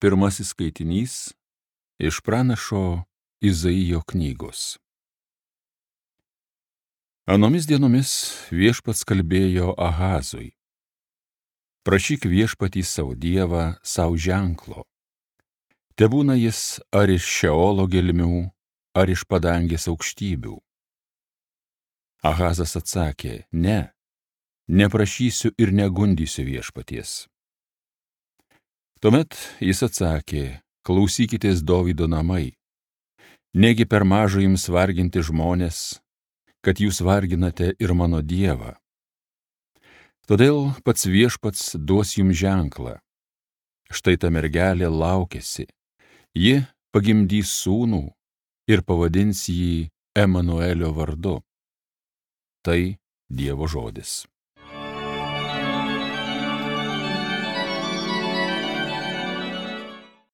Pirmasis skaitinys iš pranašo Izaijo knygos. Anomis dienomis viešpats kalbėjo Ahazui: prašyk viešpatį savo dievą savo ženklo. Tebūna jis ar iš Šeolo gelmių, ar iš padangės aukštybių. Ahazas atsakė: ne, neprašysiu ir negundysiu viešpaties. Tuomet jis atsakė: klausykitės Dovydo namai. Negi per maža jums varginti žmonės, kad jūs varginate ir mano dievą. Todėl pats viešpats duos jums ženklą. Štai ta mergelė laukiasi. Ji pagimdys sūnų ir pavadins jį Emanuelio vardu. Tai Dievo žodis.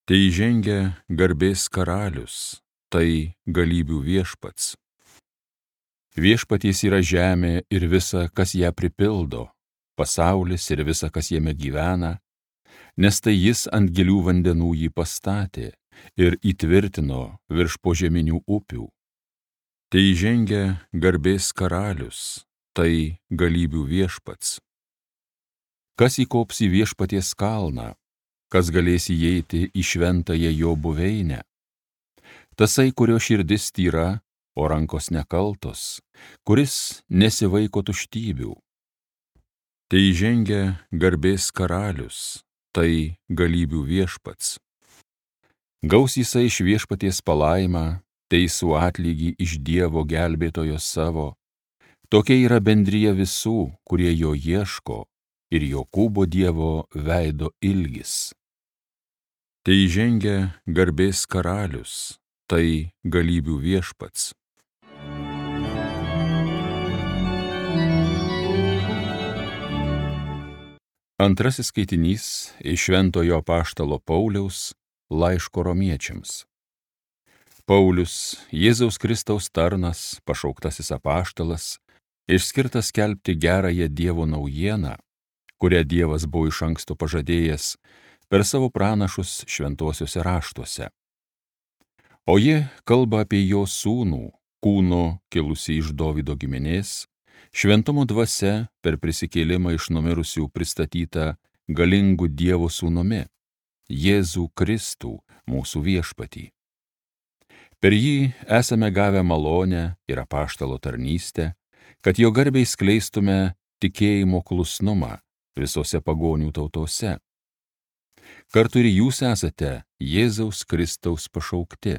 Tai įžengia garbės karalius, tai galybių viešpats. Viešpaties yra žemė ir visa, kas ją pripildo, pasaulis ir visa, kas jame gyvena, nes tai jis ant gilių vandenų jį pastatė ir įtvirtino virš požeminių upių. Tai įžengia garbės karalius, tai galybių viešpats. Kas įkops į viešpaties kalną, kas galės įeiti į šventąją jo buveinę? Tasai, kurio širdis tyra, o rankos nekaltos, kuris nesivaiko tuštybių. Tai įžengia garbės karalius, tai galybių viešpats. Gaus jisai iš viešpaties palaimą, teisų atlygį iš Dievo gelbėtojo savo. Tokia yra bendrija visų, kurie jo ieško, ir Jokūbo Dievo veido ilgis. Tai įžengia garbės karalius, tai galybių viešpats. Antrasis skaitinys iš šventojo apaštalo Pauliaus laiško romiečiams. Paulius, Jėzaus Kristaus tarnas, pašauktasis apaštalas, išskirtas skelbti gerąją Dievo naujieną, kurią Dievas buvo iš anksto pažadėjęs per savo pranašus šventuosiuose raštuose. O ji kalba apie jo sūnų, kūno kilusį iš Dovydo giminės, šventumo dvasia per prisikėlimą iš numirusių pristatytą galingų Dievo sūnumi, Jėzų Kristų, mūsų viešpatį. Per jį esame gavę malonę ir apaštalo tarnystę, kad jo garbei skleistume tikėjimo klusnumą visose pagonių tautose. Kartu ir jūs esate Jėzaus Kristaus pašaukti.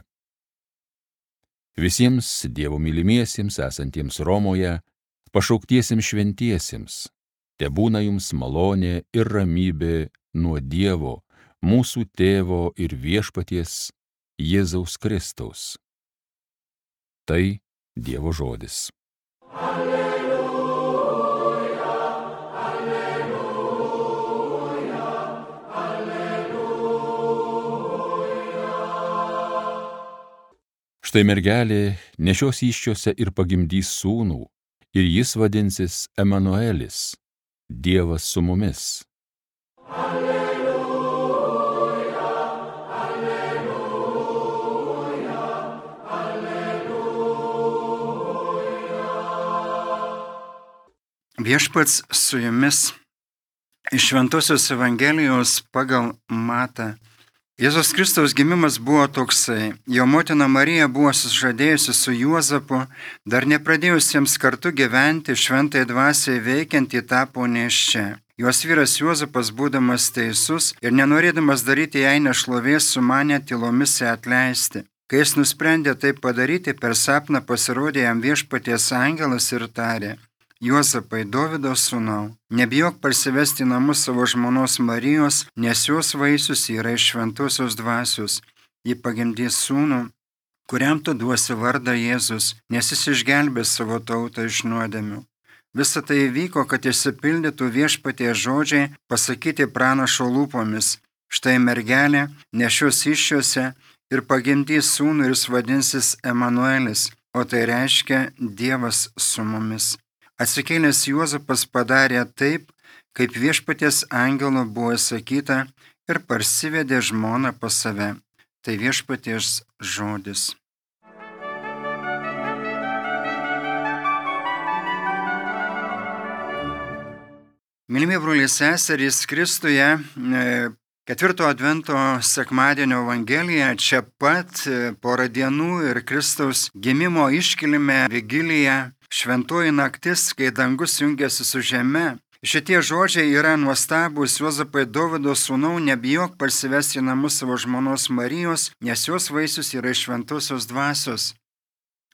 Visiems Dievo mylimiesiems esantiems Romoje, pašauktiesiems šventiesiems, tebūna jums malonė ir ramybė nuo Dievo, mūsų Tėvo ir viešpaties Jėzaus Kristaus. Tai Dievo žodis. Štai mergelė nešios įsčiose ir pagimdys sūnų, ir jis vadinsis Emanuelis, Dievas su mumis. Alleluja, alleluja, alleluja. Viešpats su jumis iš Šventosios Evangelijos pagal Matą. Jėzus Kristaus gimimas buvo toksai. Jo motina Marija buvo sužadėjusi su Juozapu, dar nepradėjusiems kartu gyventi, šventai dvasiai veikiant ji tapo nėščia. Jos vyras Juozapas, būdamas teisus ir nenorėdamas daryti jai nešlovės, sumanė tylomis ją atleisti. Kai jis nusprendė tai padaryti, per sapną pasirodė jam viešpaties angelas ir tarė: Juozapai, Dovydo sūnau, nebijok parsivesti į namus savo žmonos Marijos, nes jos vaisius yra iš šventosios dvasios. Ji pagimdys sūnų, kuriam tu duosi vardą Jėzus, nes jis išgelbės savo tautą iš nuodėmių. Visa tai įvyko, kad išsipildytų viešpaties žodžiai pasakyti pranašo lūpomis. Štai mergelė nešios įsčiose ir pagimdys sūnų ir jis vadinsis Emanuelis, o tai reiškia Dievas su mumis. Atsikėlęs Juozapas padarė taip, kaip viešpaties angelo buvo sakyta, ir parsivedė žmoną pas save. Tai viešpaties žodis. Mylimi broliai seserys Kristuje, ketvirto advento sekmadienio Evangelija čia pat porą dienų ir Kristaus gimimo iškilmė vigilija, šventoji naktis, kai dangus jungiasi su žeme. Šitie žodžiai yra nuostabūs. Juozapai, Dovydo sūnau, nebijok parsivesti į namus savo žmonos Marijos, nes jos vaisius yra iš šventosios dvasios.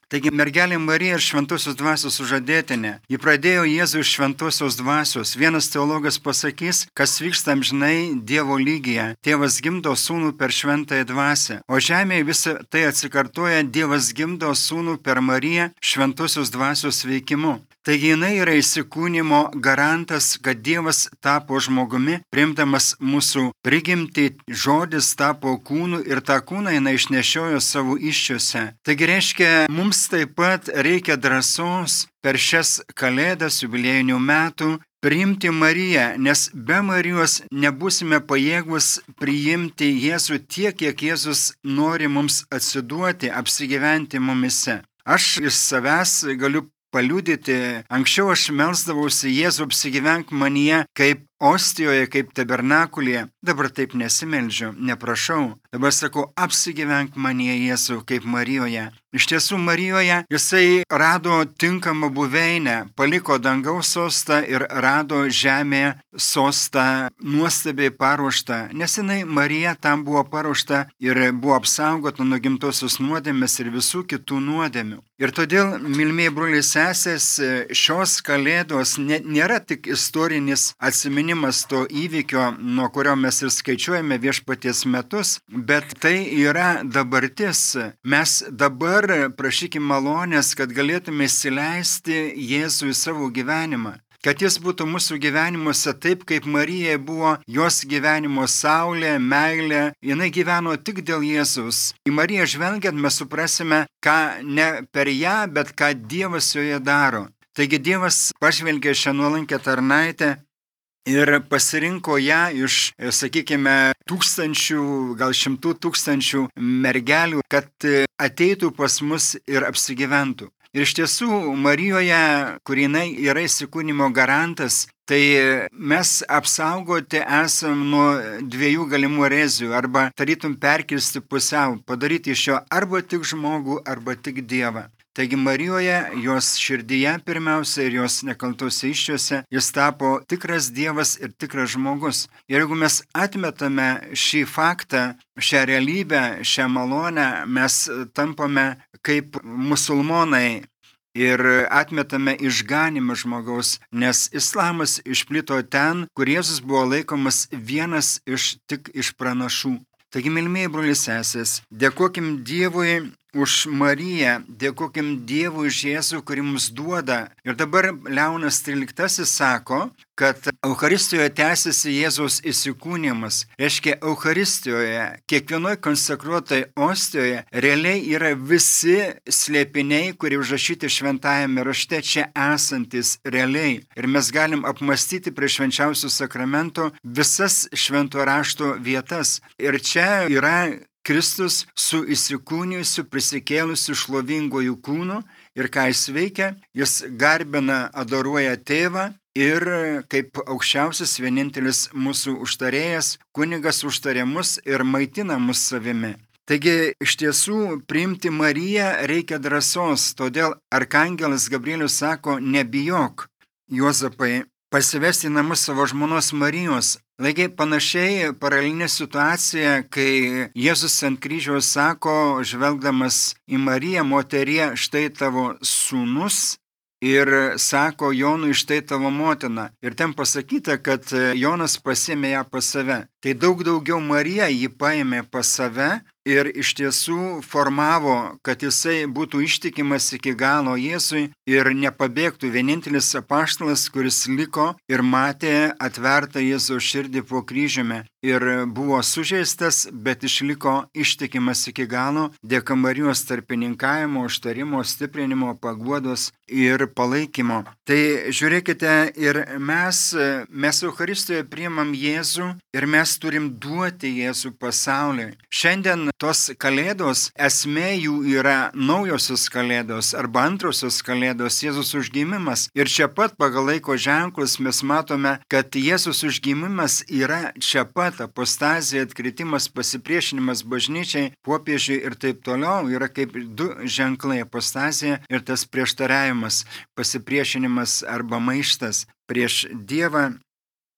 Taigi mergelė Marija ir šventosios dvasios sužadėtinė. Ji pradėjo Jėzų iš šventosios dvasios. Vienas teologas pasakys, kas vyksta amžinai Dievo lygyje. Tėvas gimdo sūnų per šventąją dvasią. O žemėje visą tai atsikartoja, Dievas gimdo sūnų per Mariją šventosios dvasios veikimu. Taigi jinai yra įsikūnimo garantas, kad Dievas tapo žmogumi, priimdamas mūsų prigimtį, žodis tapo kūnu ir tą kūną jinai išnešiojo savo įsčiose. Taigi reiškia, mums taip pat reikia drąsos per šias kalėdas jubiliejinių metų priimti Mariją, nes be Marijos nebūsime pajėgus priimti Jėzų tiek, kiek Jėzus nori mums atsiduoti, apsigyventi mumise. Aš iš savęs galiu paliudyti, anksčiau aš melsdavausi Jėzų apsigyvenk manyje kaip ostijoje, kaip tabernakulyje. Dabar taip nesimeldžiu, neprašau. Dabar sakau, apsigyvenk manyje Jėzų kaip Marijoje. Iš tiesų Marijoje jisai rado tinkamą buveinę, paliko dangaus sostą ir rado žemėje sostą nuostabiai paruoštą, nes jinai Marija tam buvo paruošta ir buvo apsaugota nuo gimtosios nuodėmės ir visų kitų nuodėmių. Ir todėl, mylimieji broliai sesės, šios kalėdos nėra tik istorinis atsiminimas to įvykio, nuo kurio mes ir skaičiuojame viešpaties metus, bet tai yra dabartis. Mes dabar prašykime malonės, kad galėtume įsileisti Jėzų į savo gyvenimą. Kad jis būtų mūsų gyvenimuose taip, kaip Marija buvo jos gyvenimo saulė, meilė. Jinai gyveno tik dėl Jėzus. Į Mariją žvelgiant mes suprasime, ką ne per ją, bet ką Dievas joje daro. Taigi Dievas pažvelgė šią nuolankę tarnaitę ir pasirinko ją iš, sakykime, tūkstančių, gal 100 000 mergelių, kad ateitų pas mus ir apsigyventų. Ir iš tiesų, Marijoje, kur jinai yra įsikūnimo garantas, tai mes apsaugoti esam nuo dviejų galimų erezijų, arba tarytum perkirsti pusiau, padaryti iš jo arba tik žmogų, arba tik Dievą. Taigi Marijoje, jos širdyje pirmiausia ir jos nekaltose įsčiose, jis tapo tikras Dievas ir tikras žmogus. Ir jeigu mes atmetame šį faktą, šią realybę, šią malonę, mes tampame kaip musulmonai ir atmetame išganimą žmogaus, nes islamas išplito ten, kur Jėzus buvo laikomas vienas tik iš pranašų. Taigi, mylimieji broliai sesės, dėkokim Dievui už Mariją, dėkokim Dievui už Jėzų, kurį mums duoda. Ir dabar Leonas XIII sako, kad Eucharistijoje tęsiasi Jėzaus įsikūnimas. Reiškia, Eucharistijoje, kiekvienoje konsekruotai ostijoje, realiai yra visi slėpiniai, kurie užrašyti šventajame rašte, čia esantis realiai. Ir mes galim apmastyti prie švenčiausio sakramento visas švento rašto vietas. Ir čia yra Kristus su įsikūnijusiu, prisikėlusiu šlovingojų kūnu. Ir ką jis veikia? Jis garbina, adoruoja tėvą. Ir kaip aukščiausias vienintelis mūsų užtarėjas, kunigas užtarė mus ir maitina mus savimi. Taigi iš tiesų priimti Mariją reikia drąsos, todėl arkangelas Gabrielius sako, nebijok, Juozapai, pasivesti į namus savo žmonos Marijos. Lygiai panašiai paralelinė situacija, kai Jėzus ant kryžiaus sako, žvelgdamas į Mariją, moterie, štai tavo sūnus. Ir sako Jonui, štai tavo motina. Ir ten pasakyta, kad Jonas pasiėmė ją pas save. Tai daug daugiau Marija jį paėmė pas save ir iš tiesų formavo, kad jisai būtų ištikimas iki galo Jėzui. ir nepabėgtų. Vienintelis apaštalas, kuris liko ir matė atvertą Jėzaus širdį po kryžiumi ir buvo sužeistas, bet išliko ištikimas iki galo dėka Marijos tarpininkavimo, užtarimo, stiprinimo, paguodos ir palaikymo. Tai žiūrėkite, ir mes Eucharistijoje priimam Jėzų ir mes turim duoti Jėzų pasauliui. Šiandien tos kalėdos, esmė jų yra naujosios kalėdos arba antrosios kalėdos, Jėzus užgimimas. Ir čia pat pagal laiko ženklus mes matome, kad Jėzus užgimimas yra čia pat, apostazija, atkritimas, pasipriešinimas bažnyčiai, popiežiui ir taip toliau yra kaip du ženklai, apostazija ir tas prieštaravimas, pasipriešinimas arba maištas prieš Dievą.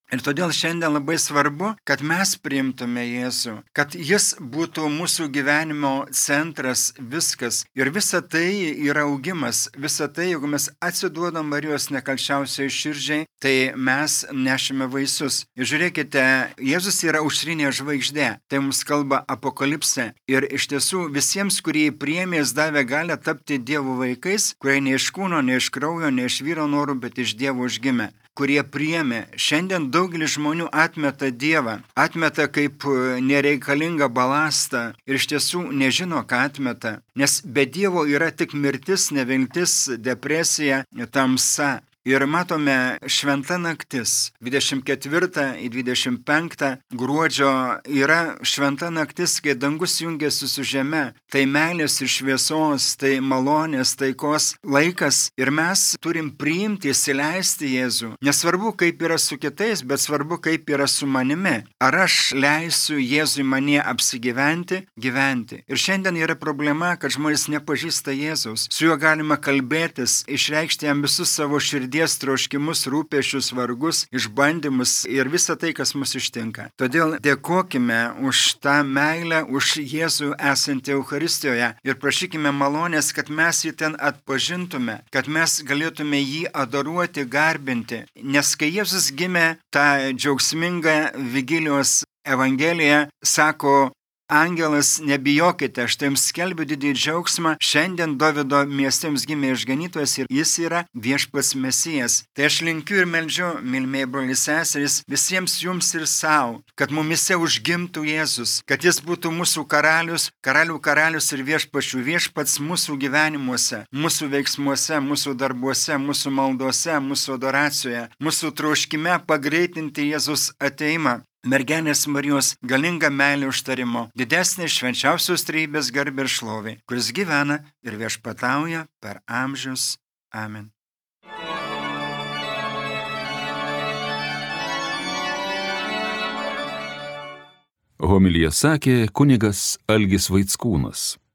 Ir todėl šiandien labai svarbu, kad mes priimtume Jėzų, kad Jis būtų mūsų gyvenimo centras, viskas. Ir visa tai yra augimas, visa tai, jeigu mes atsiduodam Marijos nekalčiausiai širdžiai, tai mes nešime vaisius. Ir žiūrėkite, Jėzus yra aušrinė žvaigždė, tai mums kalba Apokalipsė. Ir iš tiesų visiems, kurie priėmė, Jis davė galią tapti Dievo vaikais, kurie ne iš kūno, ne iš kraujo, ne iš vyro norų, bet iš Dievo užgimė, kurie priėmė. Šiandien daugelis žmonių atmeta Dievą, atmeta kaip nereikalingą balastą ir iš tiesų nežino, ką atmeta. Nes be Dievo yra tik mirtis, neviltis, depresija, tamsa. Ir matome šventa naktis, 24 į 25 gruodžio yra šventa naktis, kai dangus jungiasi su žeme. Tai meilės ir šviesos, tai malonės, taikos laikas. Ir mes turim priimti, įsileisti Jėzų. Nesvarbu, kaip yra su kitais, bet svarbu, kaip yra su manimi. Ar aš leisiu Jėzui manie apsigyventi, gyventi. Ir šiandien yra problema, kad žmonės nepažįsta Jėzaus. Su juo galima kalbėtis, išreikšti jam visus savo širdies troškimus, rūpesčius, vargus, išbandymus ir visą tai, kas mus ištinka. Todėl dėkokime už tą meilę, už Jėzų esantį Eucharistijoje ir prašykime malonės, kad mes jį ten atpažintume, kad mes galėtume jį adoruoti, garbinti. Nes kai Jėzus gimė, tą džiaugsmingą Vigilijos Evangeliją sako, angelas, nebijokite, aš jums skelbiu didį džiaugsmą, šiandien Dovydo mieste jums gimė išganytojas ir jis yra viešpats Mesijas. Tai aš linkiu ir meldžiu, mylimieji broliai seserys, visiems jums ir savo, kad mumise užgimtų Jėzus, kad jis būtų mūsų karalius, karalių karalius ir viešpačių viešpats mūsų gyvenimuose, mūsų veiksmuose, mūsų darbuose, mūsų maldose, mūsų adoracijoje, mūsų troškime pagreitinti Jėzus ateimą. Mergelės Marijos galinga meilė užtarimo, didesnė švenčiausios trejybės garbė ir šlovė, kuris gyvena ir viešpatauja per amžius. Amen. Homiliją sakė kunigas Algis Vaickūnas.